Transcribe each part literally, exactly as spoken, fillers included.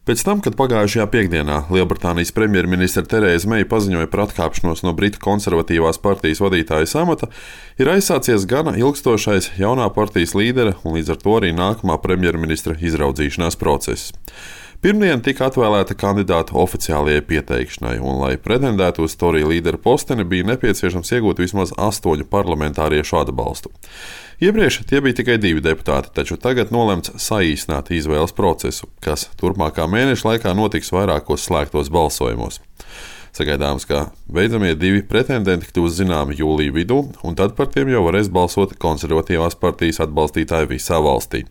Pēc tam, kad pagājušajā piekdienā Lielbritānijas premjerministre Terēza Meija paziņoja par atkāpšanos no Britu konservatīvās partijas vadītājas amata, ir aizsācies gana ilgstošais jaunā partijas līdera un līdz ar to arī nākamā premjerministra izraudzīšanās process. Pirmdien tika atvēlēta kandidāta oficiālajai pieteikšanai, un, lai pretendētu uz Tory līdera posteni, bija nepieciešams iegūt vismaz astoņu parlamentāriešu atbalstu. Iepriekš tie bija tikai divi deputāti, taču tagad nolemts saīsināt izvēles procesu, kas turpmākā mēneša laikā notiks vairākos slēgtos balsojumos. Sagaidāms, ka beidzamie divi pretendenti kļūs zināmi jūlija vidū, un tad par tiem jau varēs balsot konservatīvās partijas atbalstītāji visā valstī.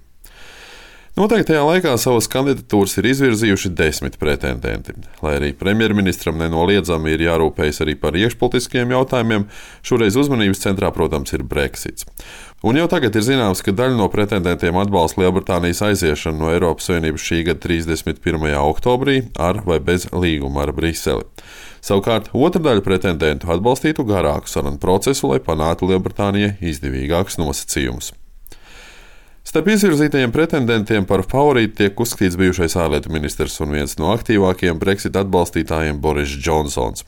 Noteiktajā laikā savas kandidatūras ir izvirzījuši desmit pretendenti. Lai arī premjerministram nenoliedzami ir jārūpējas arī par iekšpolitiskiem jautājumiem, šoreiz uzmanības centrā, protams, ir Brexits. Un jau tagad ir zināms, ka daļa no pretendentiem atbalsta Lielbritānijas aiziešanu no Eiropas Savienības šī gada trīsdesmit pirmajā oktobrī ar vai bez līguma ar Briseli. Savukārt otra daļa pretendentu atbalstītu garāku sarunu procesu, lai panāktu Lielbritānijai izdevīgākus nosacījumus. Starp izvirzītajiem pretendentiem par favorītu tiek uzskatīts bijušais ārlietu ministrs un viens no aktīvākajiem Brexit atbalstītājiem Boris Džonsons.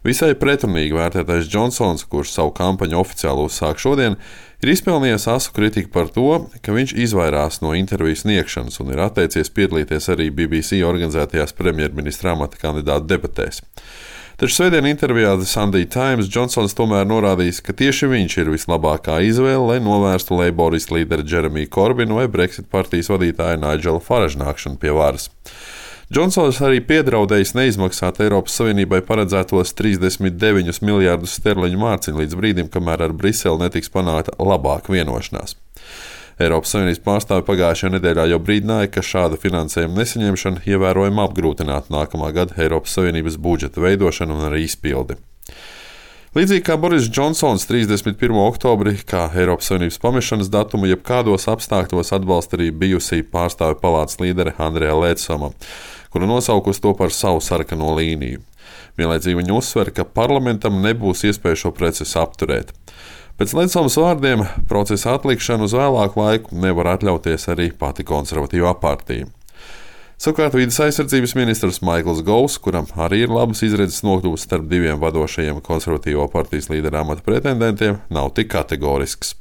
Visai pretrunīgi vērtētais Džonsons, kurš savu kampaņu oficiāli uzsāk šodien, ir izpelnījies asu kritiku par to, ka viņš izvairās no interviju sniegšanas un ir atteicies piedalīties arī B B C organizētajās premjerministra amata kandidātu debatēs. Taču svētdien intervijā The Sunday Times Džonsons tomēr norādījis, ka tieši viņš ir vislabākā izvēle, lai novērstu Leiboristu līderi Jeremiju Korbinu vai Brexit partijas vadītāju Nigelu Farageu nākšanu pie varas. Džonsons arī piedraudējis neizmaksāt Eiropas Savienībai paredzētos trīsdesmit deviņus miljārdus sterliņu mārciņu līdz brīdim, kamēr ar Briseli netiks panākta labāka vienošanās. Eiropas Savienības pārstāvi pagājušajā nedēļā jau brīdināja, ka šāda finansējuma nesaņemšana ievērojami apgrūtinātu nākamā gada Eiropas Savienības budžeta veidošanu un arī izpildi. Līdzīgi kā Boris Džonsons trīsdesmit pirmo oktobri, kā Eiropas Savienības pamešanas datumu, jebkādos apstākļos atbalsta arī bijusī pārstāvju palātas līdere Andrea Leedsama, kura nosaukusi to par savu sarkano līniju. Vienlaicīgi viņa uzsver, ka parlamentam nebūs iespēja šo procesu apturēt. Pēc Leedsamas vārdiem procesa atlikšanu uz vēlāku laiku nevar atļauties arī pati konservatīvā partija. Savukārt vides aizsardzības ministrs Maikls Govs, kuram arī ir labas izredzes nokļūt starp diviem vadošajiem konservatīvo partijas līdera amata pretendentiem, nav tik kategorisks.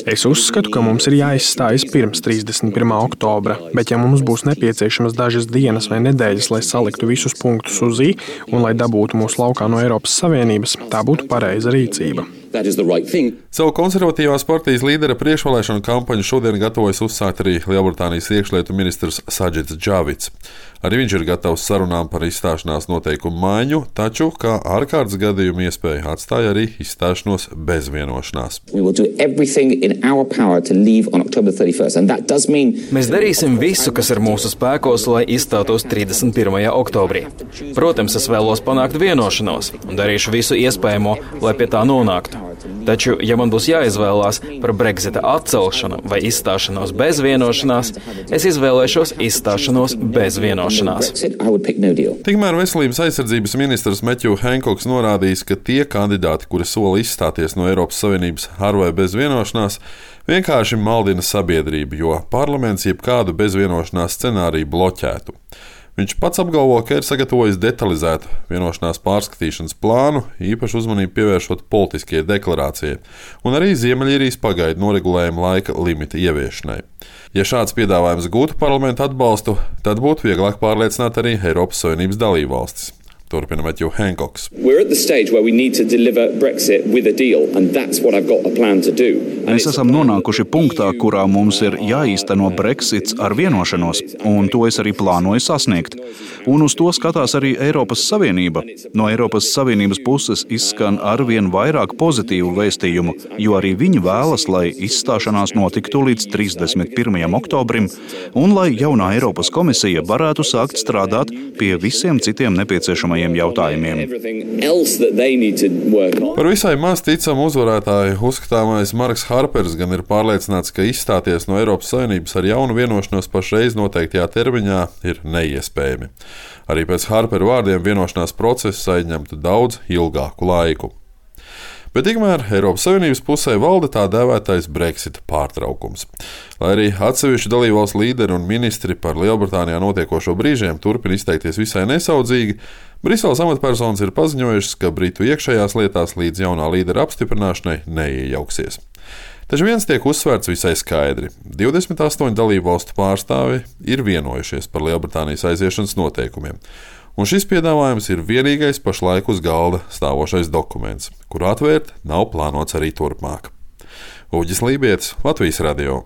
Es uzskatu, ka mums ir jāizstājas pirms trīsdesmit pirmā oktobra, bet ja mums būs nepieciešamas dažas dienas vai nedēļas, lai saliktu visus punktus uz i un lai dabūtu mūs laukā no Eiropas Savienības, tā būtu pareiza rīcība. Savu konservatīvās partijas līdera priekšvēlēšanu kampaņu šodien gatavojas uzsākt arī Lielbritānijas iekšlietu ministrs Sajits Džavids. Arī viņš ir gatavs sarunām par izstāšanās noteikumu maiņu, taču kā ārkārtas gadījumu iespēju atstāja arī izstāšanos bez vienošanās. Mēs darīsim visu, kas ir mūsu spēkos, lai izstātos trīsdesmit pirmajā oktobrī. Protams, es vēlos panākt vienošanos un darīšu visu iespējamo, lai pie tā nonāktu. Taču, ja man būs jāizvēlās par Brexita atcelšanu vai izstāšanos bez vienošanās, es izvēlēšos izstāšanos bez vienošanās. Tikmēr veselības aizsardzības ministrs Matthew Hancocks norādījis, ka tie kandidāti, kuri sola izstāties no Eiropas Savienības ar vai bez vienošanās, vienkārši maldina sabiedrību, jo parlaments jebkādu bezvienošanās scenāriju bloķētu. Viņš pats apgalvo, ka ir sagatavojis detalizētu vienošanās pārskatīšanas plānu, īpaši uzmanību pievēršot politiskajai deklarācijai, un arī Ziemeļīrijas pagaidu noregulējuma laika limita ieviešanai. Ja šāds piedāvājums gūtu parlamentu atbalstu, tad būtu vieglāk pārliecināt arī Eiropas Savienības dalībvalstis. Turpina Matthew Hancocks. Mēs esam nonākuši punktā, kurā mums ir jāīsteno Brexits ar vienošanos, un to es arī plānoju sasniegt. Un uz to skatās arī Eiropas Savienība. No Eiropas Savienības puses izskan arvien vairāk pozitīvu vēstījumu, jo arī viņi vēlas, lai izstāšanās notiktu līdz trīsdesmit pirmajam oktobrim, un lai jaunā Eiropas komisija varētu sākt strādāt pie visiem citiem nepieciešamajiem jautājumiem. Par visai maz ticamu uzvarētāju uzskatāmais Marks Harpers gan ir pārliecināts, ka izstāties no Eiropas Savienības ar jaunu vienošanos pašreiz noteiktajā termiņā ir neiespējami. Arī pēc Harpera vārdiem vienošanās process aizņemtu daudz ilgāku laiku. Bet tikmēr Eiropas Savienības pusē valda tā dēvētais Brexita pārtraukums. Lai arī atsevišķu dalībvalstu līderi un ministri par Lielbritānijā notiekošo brīžiem turpina izteikties visai nesaudzīgi, Briseles amatpersonas ir paziņojušas, ka Britu iekšējās lietās līdz jaunā līdera apstiprināšanai neiejauksies. Taču viens tiek uzsvērts visai skaidri. divdesmit astoņu dalībvalstu pārstāvi ir vienojušies par Lielbritānijas aiziešanas noteikumiem. Un šis piedāvājums ir vienīgais pašlaik uz galda stāvošais dokuments, kuru atvērt nav plānots arī turpmāk. Uģis Lībietis, Latvijas radio.